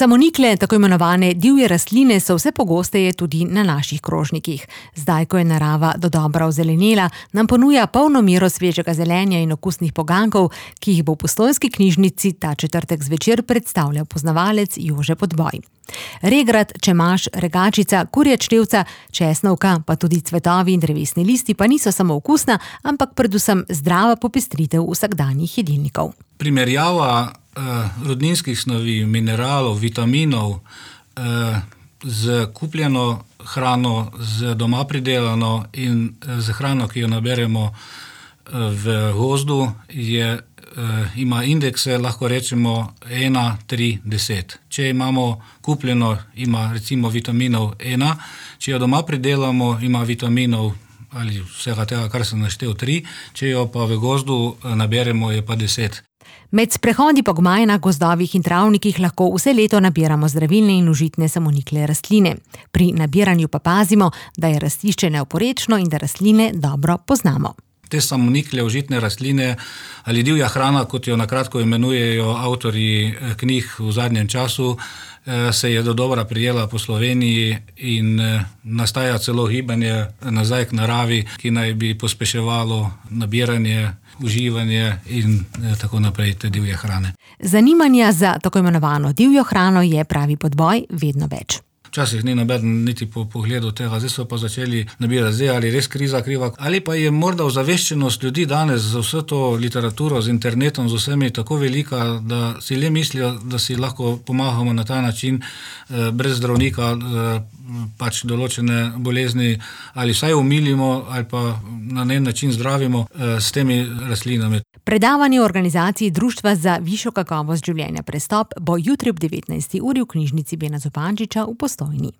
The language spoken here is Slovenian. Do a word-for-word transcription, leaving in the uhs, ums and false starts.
Samonikle, tako imenovane divje rastline, so vse pogosteje tudi na naših krožnikih. Zdaj, ko je narava dodobra ozelenela, nam ponuja polno mero svežega zelenja in okusnih pogankov, ki jih bo v Postojnski knjižnici ta četrtek zvečer predstavljal poznavalec Jože Podboj. Regrat, čemaž, regačica, kurja črevca, česnovka, pa tudi cvetovi in drevesni listi pa niso samo okusna, ampak predvsem zdrava popestritev vsakdanjih jedilnikov. Primerjava eh, rodninskih snovi, mineralov, vitaminov eh, z kupljeno hrano, z doma pridelano in z hrano, ki jo naberemo eh, v gozdu, je ima indekse, lahko rečemo ena, tri, deset. Če imamo kupljeno, ima recimo vitaminov ena, če jo doma pridelamo, ima vitaminov ali vsega tega, kar sem naštel, tri, če jo pa v gozdu naberemo, je pa deset. Med sprehodi po gmajnah, gozdovih in travnikih lahko vse leto nabiramo zdravilne in užitne samonikle rastline. Pri nabiranju pa pazimo, da je rastišče neoporečno in da rastline dobro poznamo. Te samonikle, užitne rastline ali divja hrana, kot jo nakratko imenujejo avtorji knjig v zadnjem času, se je dodobra prijela po Sloveniji in nastaja celo gibanje nazaj k naravi, ki naj bi pospeševalo nabiranje, uživanje in tako naprej te divje hrane. Zanimanja za tako imenovano divjo hrano je, pravi Podboj, vedno več. Včasih ni nobeden niti po pogledu tega, zdaj so pa začeli nabirati, zdaj ali res kriza kriva, ali pa je morda ozaveščenost ljudi danes z vso to literaturo, z internetom, z vsemi tako velika, da si le mislijo, da si lahko pomagamo na ta način eh, brez zdravnika eh, pač določene bolezni ali vsaj umilimo ali pa na en način zdravimo eh, s temi rastlinami. Predavanje v organizaciji Društva za višjo kakovost življenja Prestop bo jutri ob devetnajsti uri v knjižnici Bena Zupančiča v Postojni.